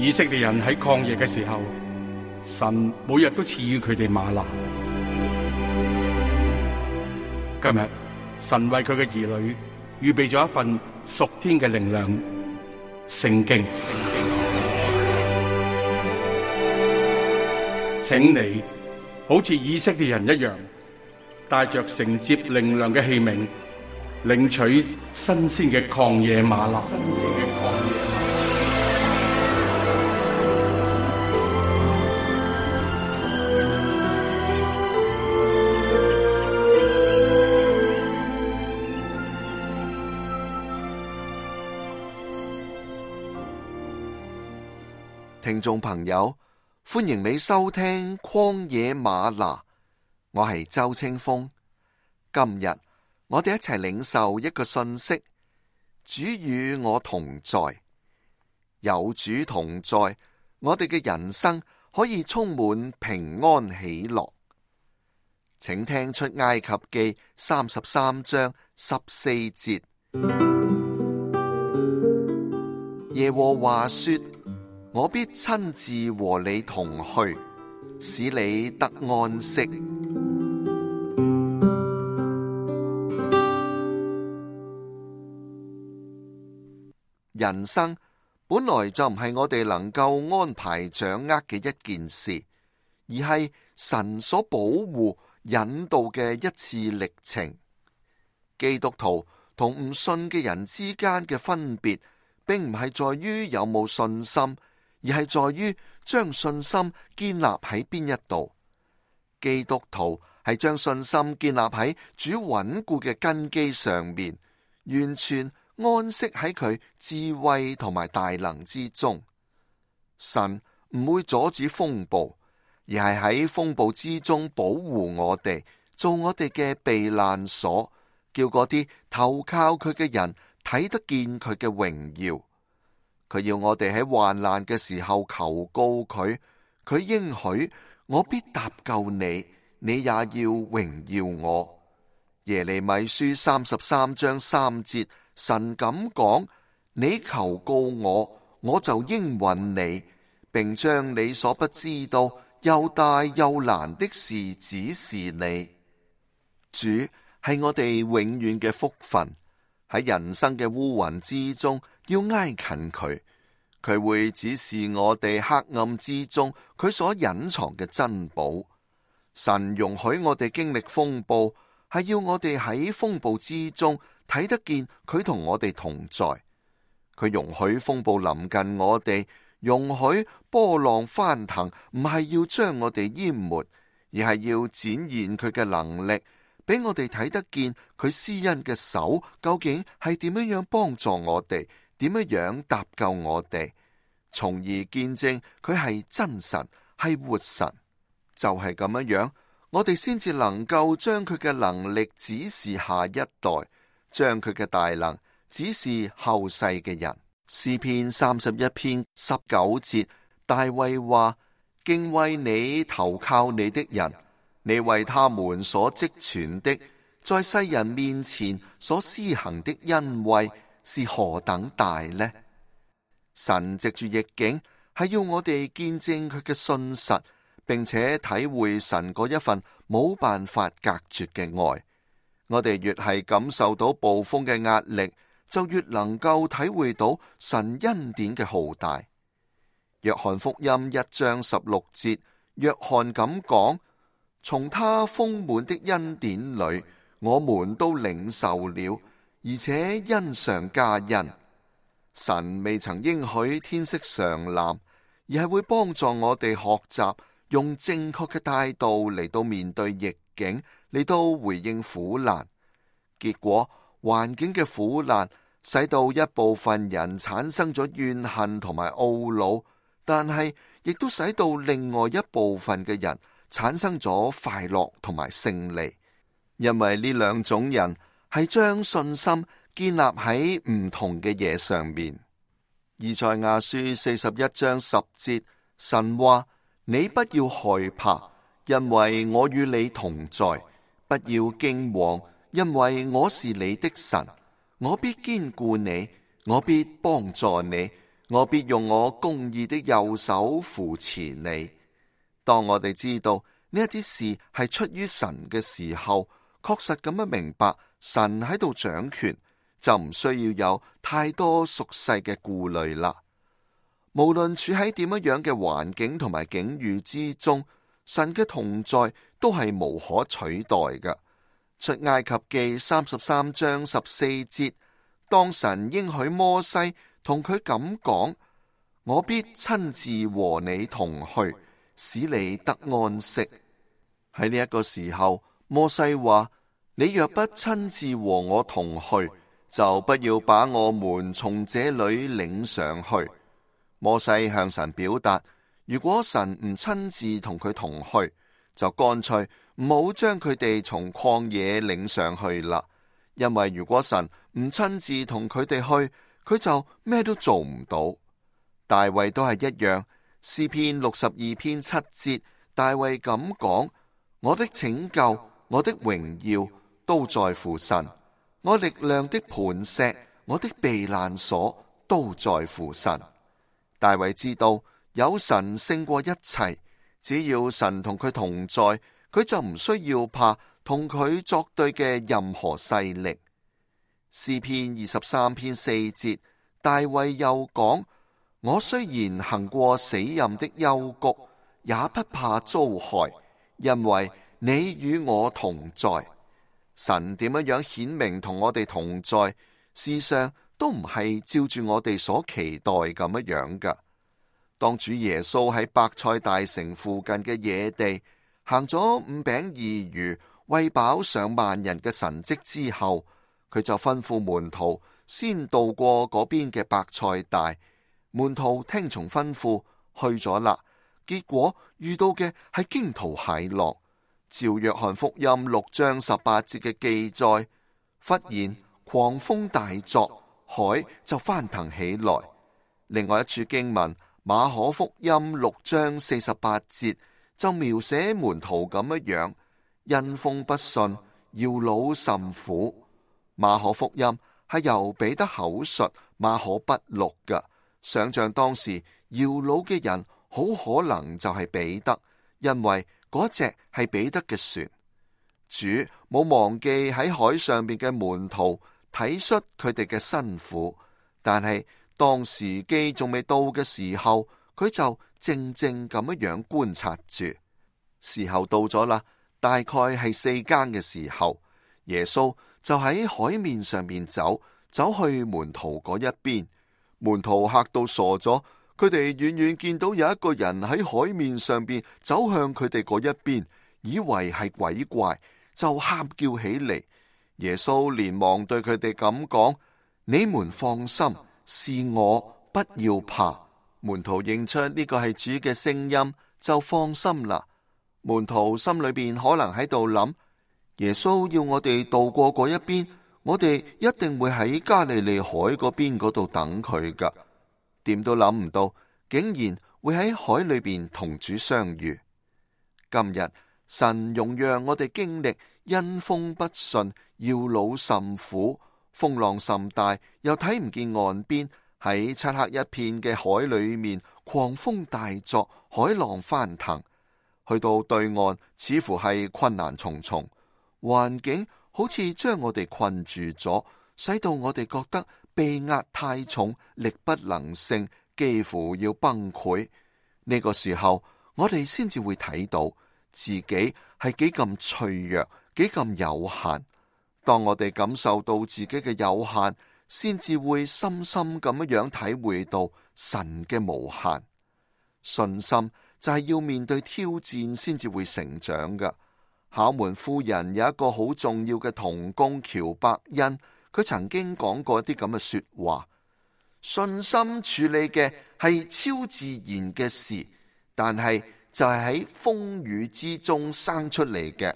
以色列人喺曠野嘅時候，神每日都賜予佢哋嗎哪。今日神為佢嘅兒女預備咗一份屬天嘅靈糧——聖經。請你好似以色列人一樣，帶着承接靈糧嘅器皿，領取新鮮嘅曠野嗎哪。聽眾朋友，歡迎你收聽曠野嗎哪，我係周清風。今日我哋一齊領受一個信息：主與我同在。有主同在，我哋嘅人生可以充滿平安喜樂。請聽出埃及記33章14節，耶和華說：我必親自和你同去，使你得安息。人生本來就唔係我哋能夠安排掌握嘅一件事，而係神所保護引導嘅一次歷程。基督徒同唔信嘅人之間嘅分別，並唔係在於有冇信心，而係在於將信心建立喺邊一度。基督徒係將信心建立喺主穩固嘅根基上面，完全安息喺佢智慧同埋大能之中。神唔會阻止風暴，而係喺風暴之中保護我哋，做我哋嘅避難所，叫嗰啲投靠佢嘅人睇得見佢嘅榮耀。佢要我哋喺患難嘅時候求告佢，佢應許我必搭救你，你也要榮耀我。耶利米書33章3節，神咁講：你求告我，我就應允你，並將你所不知道又大又難的事指示你。主係我哋永遠嘅福分，喺人生嘅烏雲之中，要挨近佢，佢會指示我哋黑暗之中佢所隱藏嘅珍寶。神容許我哋經歷風暴，係要我哋喺風暴之中睇得見佢同我哋同在。佢容許風暴臨近我哋，容許波浪翻騰，唔係要將我哋淹沒，而係要展現佢嘅能力，俾我哋睇得見佢施恩嘅手究竟係點樣幫助我哋，點樣搭救我哋，從而見證佢係真神，係活神。就係咁樣，我哋先至能夠將佢嘅能力指示下一代，將佢嘅大能指示後世嘅人。詩篇31篇19節，大衛話：敬畏你投靠你的人，你為他們所積存的，在世人面前所施行的恩惠是何等大呢？神藉住逆境，係要我哋見證佢嘅信實，並且體會神嗰一份冇辦法隔絕嘅愛。我哋越係感受到暴風嘅壓力，就越能夠體會到神恩典嘅浩大。約翰福音1章16節，約翰咁講：從他豐滿的恩典裏，我們都領受了，而且恩上加恩。神未曾應許天色常藍，而係會幫助我哋學習用正確嘅態度嚟到面對逆境，嚟到回應苦難。結果環境嘅苦難使到一部分人產生咗怨恨同埋懊惱，但係亦都使到另外一部分嘅人產生咗快樂同埋勝利。因為呢兩種人係將信心建立喺唔同嘅嘢上面。以賽亞書41章10節，神話：你不要害怕，因為我與你同在；不要驚惶，因為我是你的神，我必堅固你，我必幫助你，我必用我公義的右手扶持你。當我哋知道呢一啲事係出於神嘅時候，確實咁樣明白神喺度掌權，就唔需要有太多俗世嘅顧慮啦。無論處喺點樣嘅環境同埋境遇之中，神嘅同在都係無可取代嘅。出埃及記33章14節，當神應許摩西同佢咁講，我必親自和你同去，使你得安息。喺呢一個時候，摩西話，你若不親自和我同去，就不要把我們從這裏領上去。摩西向神表達，如果神唔親自同佢同去，就乾脆唔好將佢哋從曠野領上去啦。因為如果神唔親自同佢哋去，佢就咩都做唔到。大衛都係一樣，詩篇62篇7節，大衛咁講，我的拯救，我的榮耀都在乎神，我力量的磐石，我的避難所都在乎神。大衛知道有神勝過一切，只要神同佢同在，佢就唔需要怕同佢作對嘅任何勢力。詩篇23篇4節，大衛又講，我雖然行過死蔭的幽谷，也不怕遭害，因為你與我同在。神點樣顯明同我哋同在，事實上都唔係照住我哋所期待咁樣噶。當主耶穌喺伯賽大城附近嘅野地行咗5餅2魚餵飽上萬人嘅神蹟之後，佢就吩咐門徒先渡過嗰邊嘅伯賽大。門徒聽從吩咐去咗啦，結果遇到嘅係驚濤駭浪。照約翰福音6章18節嘅記載，忽然狂風大作，海就翻騰起來。另外一處經文馬可福音6章48節就描寫門徒咁樣，因風不順，搖腦甚苦。馬可福音係由彼得口述，馬可筆錄嘅。想象當時搖腦嘅人好可能就係彼得，因為嗰隻係彼得嘅船。主冇忘記喺海上邊嘅門徒，體恤佢哋嘅辛苦，但係當時機仲未到嘅時候，佢就靜靜咁樣觀察住。時候到咗啦，大概係4更嘅時候，耶穌就喺海面上面走去門徒嗰一邊。門徒嚇到傻咗，佢哋遠遠見到有一個人喺海面上邊走向佢哋嗰一邊，以為係鬼怪，就喊叫起嚟。耶穌連忙對佢哋咁講，你們放心，是我，不要怕。門徒認出呢個係主嘅聲音，就放心啦。門徒心裏邊可能喺度諗，耶穌要我哋渡過嗰一邊，我哋一定會喺加利利海嗰邊嗰度等佢噶。點都諗唔到，竟然會喺海裏邊同主相遇。今日神容讓我哋經歷因風不順，搖腦甚苦，風浪甚大，又睇唔見岸邊，喺漆黑一片嘅海裏面，狂風大作，海浪翻騰。去到對岸，似乎係困難重重，環境好似將我哋困住咗，使到我哋覺得被壓太重，力不能勝，幾乎要崩潰。呢個時候，我哋先至會睇到自己係幾咁脆弱，幾咁有限。當我哋感受到自己嘅有限，先至會深深咁樣體會到神嘅無限。信心就係要面對挑戰先至會成長噶。考門夫人有一個好重要嘅同工喬伯恩，佢曾經講過一啲咁嘅說話：信心處理嘅係超自然嘅事，但係就係喺風雨之中生出嚟嘅。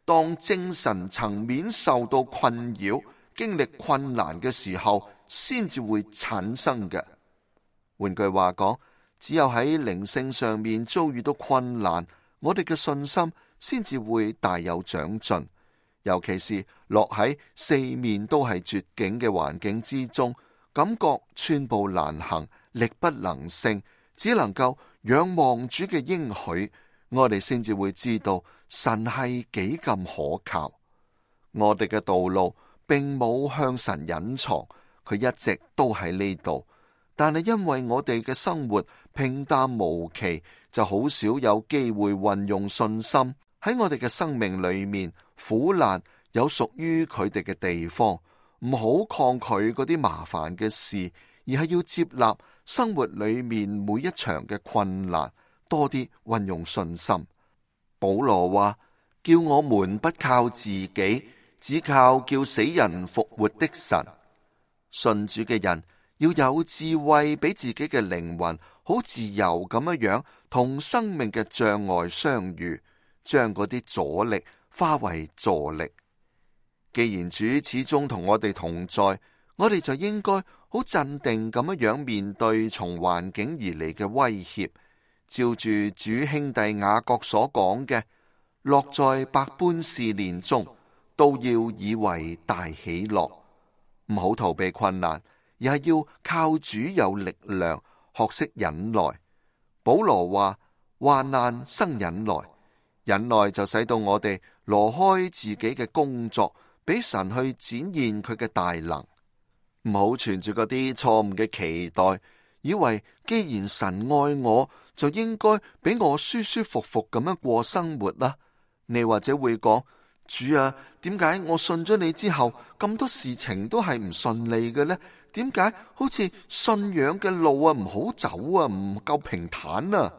當精神層面受到困擾，經歷困難嘅時候，先至會產生嘅。換句話講，只有喺靈性上面遭遇到困難，我哋嘅信心先至會大有長進。尤其是落喺四面都係絕境嘅環境之中，感覺寸步難行，力不能勝，只能夠仰望主嘅應許，我哋先至會知道神係幾咁可靠。我哋嘅道路並冇向神隱藏，佢一直都喺呢度。但係因為我哋嘅生活平淡無奇，就好少有機會運用信心。喺我哋嘅生命裏面，苦難有屬於佢哋嘅地方，唔好抗拒嗰啲麻煩嘅事，而係要接納生活裏面每一場嘅困難，多啲運用信心。保羅話：叫我們不靠自己，只靠叫死人復活的神。信主嘅人要有智慧，俾自己嘅靈魂好自由咁樣同生命嘅障礙相遇，將嗰啲阻力化為助力。既然主始終同我哋同在，我哋就應該好鎮定咁樣面對從環境而嚟嘅威脅，照住主兄弟雅各所講嘅，落在百般試煉中，都要以為大喜樂。唔好逃避困難，而係要靠主有力量，學識忍耐。保羅話：患難生忍耐，忍耐就使到我哋挪開自己嘅工作，俾神去展現佢嘅大能。唔好存住嗰啲錯誤嘅期待，以為既然神愛我，就應該俾我舒舒服服咁樣過生活啦。你或者會講：主啊，點解我信咗你之後，咁多事情都係唔順利嘅呢？點解好似信仰嘅路啊唔好走啊，唔夠平坦啊？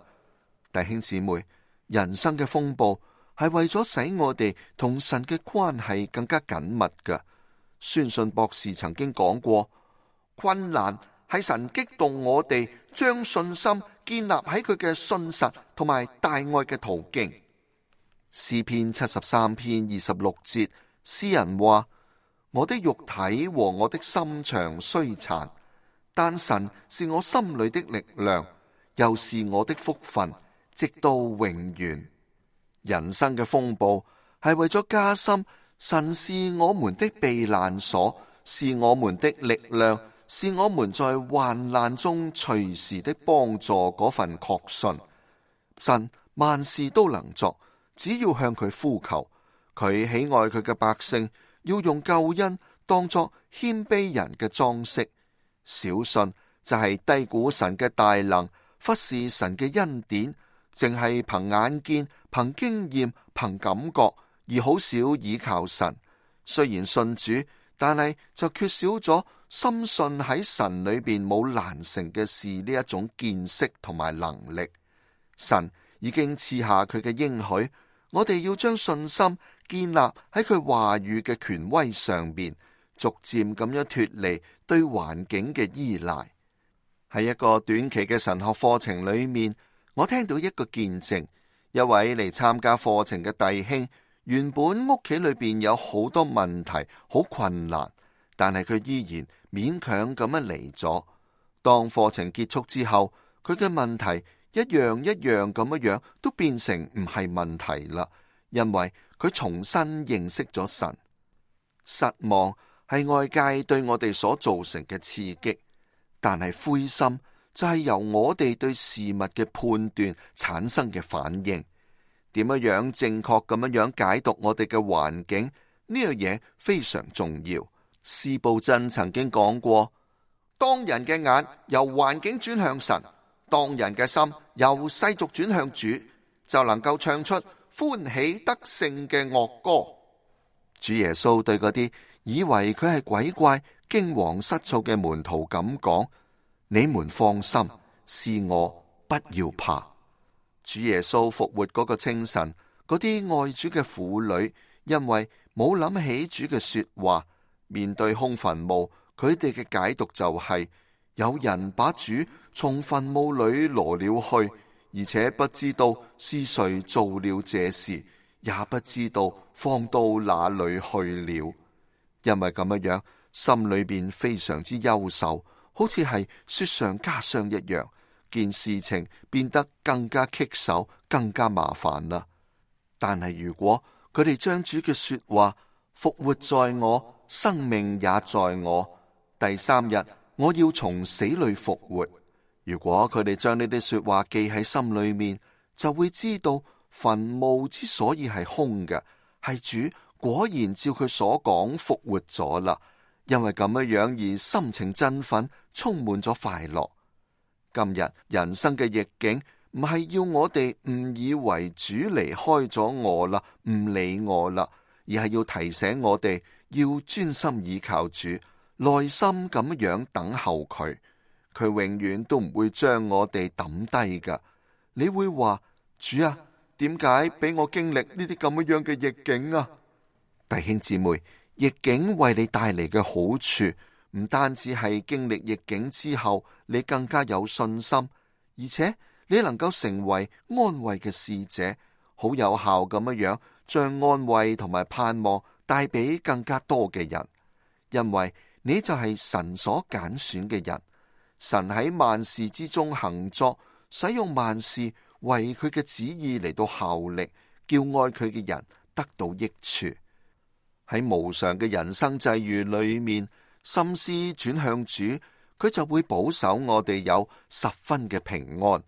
弟兄姊妹，人生嘅風暴係為咗使我哋同神嘅關係更加緊密㗎。宣信博士曾經講過，困難係神激動我哋將信心建立喺佢嘅信實同埋大愛嘅途徑。詩篇73篇26節，詩人話：我的肉體和我的心腸衰殘，但神是我心裏的力量，又是我的福分，直到永遠。人生嘅風暴係為咗加深神是我們的避難所，是我們的力量，是我們在患難中隨時的幫助嗰份確信。神萬事都能作，只要向佢呼求。佢喜愛佢嘅百姓，要用救恩當作謙卑人嘅裝飾。小信就係低估神嘅大能，忽視神嘅恩典，淨係憑眼見、憑經驗、憑感覺，而好少倚靠神。雖然信主，但係就缺少咗深信喺神裏邊冇難成嘅事呢一種見識同埋能力。神已經賜下佢嘅應許，我哋要將信心建立喺佢話語嘅權威上面，逐漸咁樣脫離對環境嘅依賴。喺一個短期嘅神學課程裏面，我聽到一個見證，一位嚟參加課程嘅弟兄，原本屋企裏邊有好多問題，好困難，但係佢依然勉強咁樣嚟咗。當課程結束之後，佢嘅問題一樣一樣咁樣都變成唔係問題啦，因為佢重新認識咗神。失望係外界對我哋所造成嘅刺激，但係灰心就係由我哋對事物嘅判斷產生嘅反應。點樣正確咁樣解讀我哋嘅環境，呢樣嘢非常重要。司布真曾經講過，當人嘅眼由環境轉向神，當人嘅心由世俗轉向主，就能夠唱出歡喜得勝嘅樂歌。主耶穌對嗰啲以為佢係鬼怪、驚惶失措嘅門徒咁講：你們放心，是我，不要怕。主耶穌復活嗰個清晨，嗰啲愛主嘅婦女因為冇諗起主嘅說話，面對空墳墓，佢哋嘅解讀就係：有人把主從墳墓裏挪了去，而且不知道是誰做了這事，也不知道放到哪裏去了。因為咁樣，心裏邊非常之憂愁，好似係雪上加霜一樣。件事情變得更加棘手，更加麻煩啦。但係如果佢哋將主嘅說話，復活在我，生命也在我，第三日我要從死裏復活，如果佢哋將呢啲說話記喺心裏面，就會知道墳墓之所以係空嘅，係主果然照佢所講復活咗啦。因為咁樣而心情振奮，充滿咗快樂。今日人生嘅逆境唔係要我哋誤以為主離開咗我啦，唔理我啦，而係要提醒我哋要專心倚靠主，耐心咁樣等候佢。佢永遠都唔會將我哋抌低噶。你會話，主啊，點解俾我經歷呢啲咁樣嘅逆境啊？弟兄姊妹，逆境為你帶嚟嘅好處，唔單止係經歷逆境之後，你更加有信心，而且你能夠成為安慰嘅使者，好有效咁樣將安慰同埋盼望帶俾更加多嘅人。因為你就係神所揀選嘅人，神喺萬事之中行作，使用萬事為佢嘅旨意嚟到效力，叫愛佢嘅人得到益處。喺無常嘅人生際遇裏面，心思轉向主，佢就會保守我哋有十分嘅平安。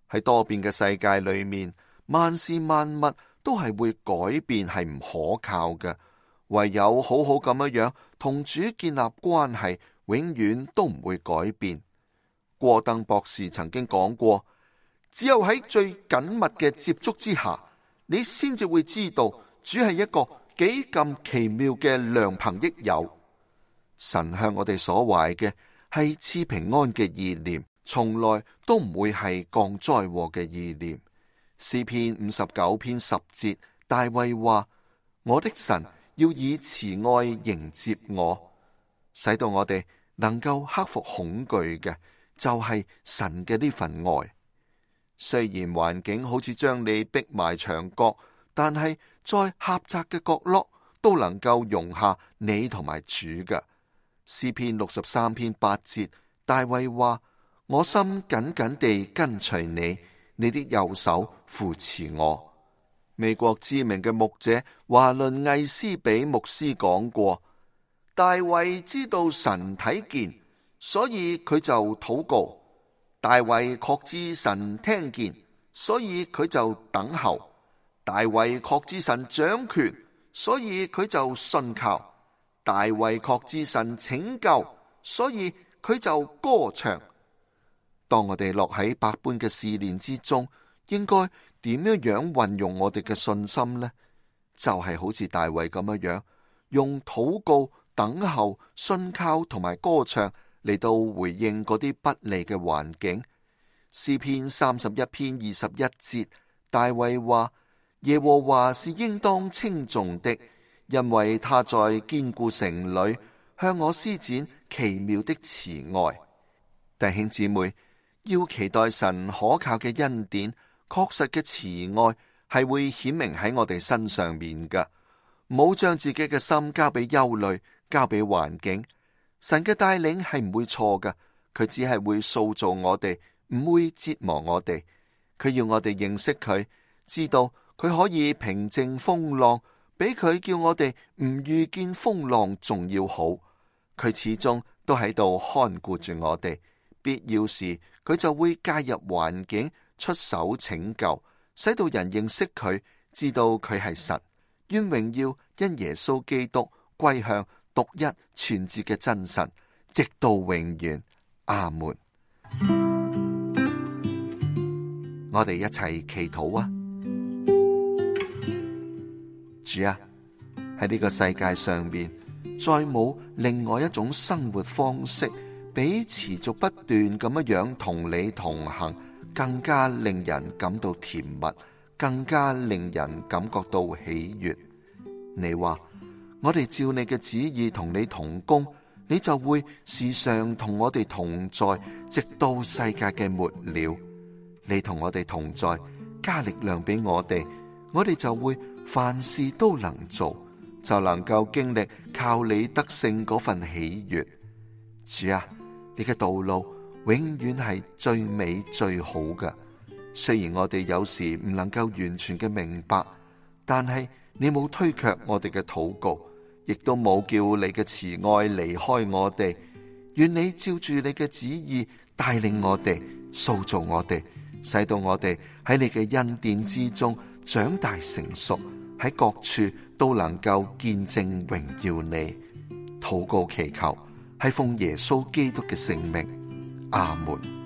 喺多變嘅世界裏面，萬事萬物都係會改變，係唔可靠嘅。唯有好好咁樣同主建立關係，永遠都唔會改變。郭登博士曾經講過，只有喺最緊密嘅接觸之下，你先至會知道主係一個幾咁奇妙嘅良朋益友。神向我哋所懷嘅係賜平安嘅意念，從來都唔會係降災禍嘅意念。詩篇59篇10節，大衛話：我的神要以慈愛迎接我，使到我哋能夠克服恐懼嘅，就係神嘅呢份愛。雖然環境好似將你逼埋牆角，但係在狹窄嘅角落都能夠容下你同埋主嘅。詩篇63篇8節，大衛話：我心緊緊地跟隨你，你的右手扶持我。美國知名嘅牧者華倫魏斯比牧師講過，大衛知道神睇見，所以佢就禱告。大衛確知神聽見，所以佢就等候。大衛確知神掌權，所以佢就信靠。大衛確知神拯救，所以佢就歌唱。當我哋落喺百般嘅試煉之中，應該點樣運用我哋嘅信心呢？就係好似大衛咁樣，用禱告、等候、信靠同埋歌唱嚟到回應嗰啲不利嘅環境。詩篇31篇21節，大衛話：耶和華是應當稱頌的，因為他在堅固城裏向我施展奇妙的慈愛。弟兄姊妹，要期待神可靠嘅恩典，確實嘅慈愛係會顯明喺我哋身上面噶。唔好將自己嘅心交俾憂慮，交俾環境。神嘅帶領係唔會錯噶，佢只係會塑造我哋，唔會折磨我哋。佢要我哋認識佢，知道佢可以平靜風浪，比佢叫我哋唔遇見風浪仲要好。佢始終都喺度看顧住我哋，必要時佢就會介入環境，出手拯救，使到人認識佢，知道佢係神。願榮耀因耶穌基督歸向獨一全智嘅真神，直到永遠。阿門。我哋一齊祈禱啊！主啊，喺呢個世界上面，再冇另外一種生活方式，比持續不斷咁樣同你同行，更加令人感到甜蜜，更加令人感覺到喜悅。你話我哋照你嘅旨意同你同工，你就會時常同我哋同在，直到世界嘅末了。你同我哋同在，加力量俾我哋就會凡事都能做，就能夠經歷靠你得勝嗰份喜悅。主啊，你嘅道路永遠係最美最好嘅。雖然我哋有時唔能夠完全嘅明白，但係你冇推卻我哋嘅禱告，亦都冇叫你嘅慈愛離開我哋。願你照住你嘅旨意帶領我哋，塑造我哋，使到我哋喺你嘅恩典之中長大成熟，喺各處都能夠見證榮耀你。禱告祈求係奉耶穌基督嘅聖名，阿門。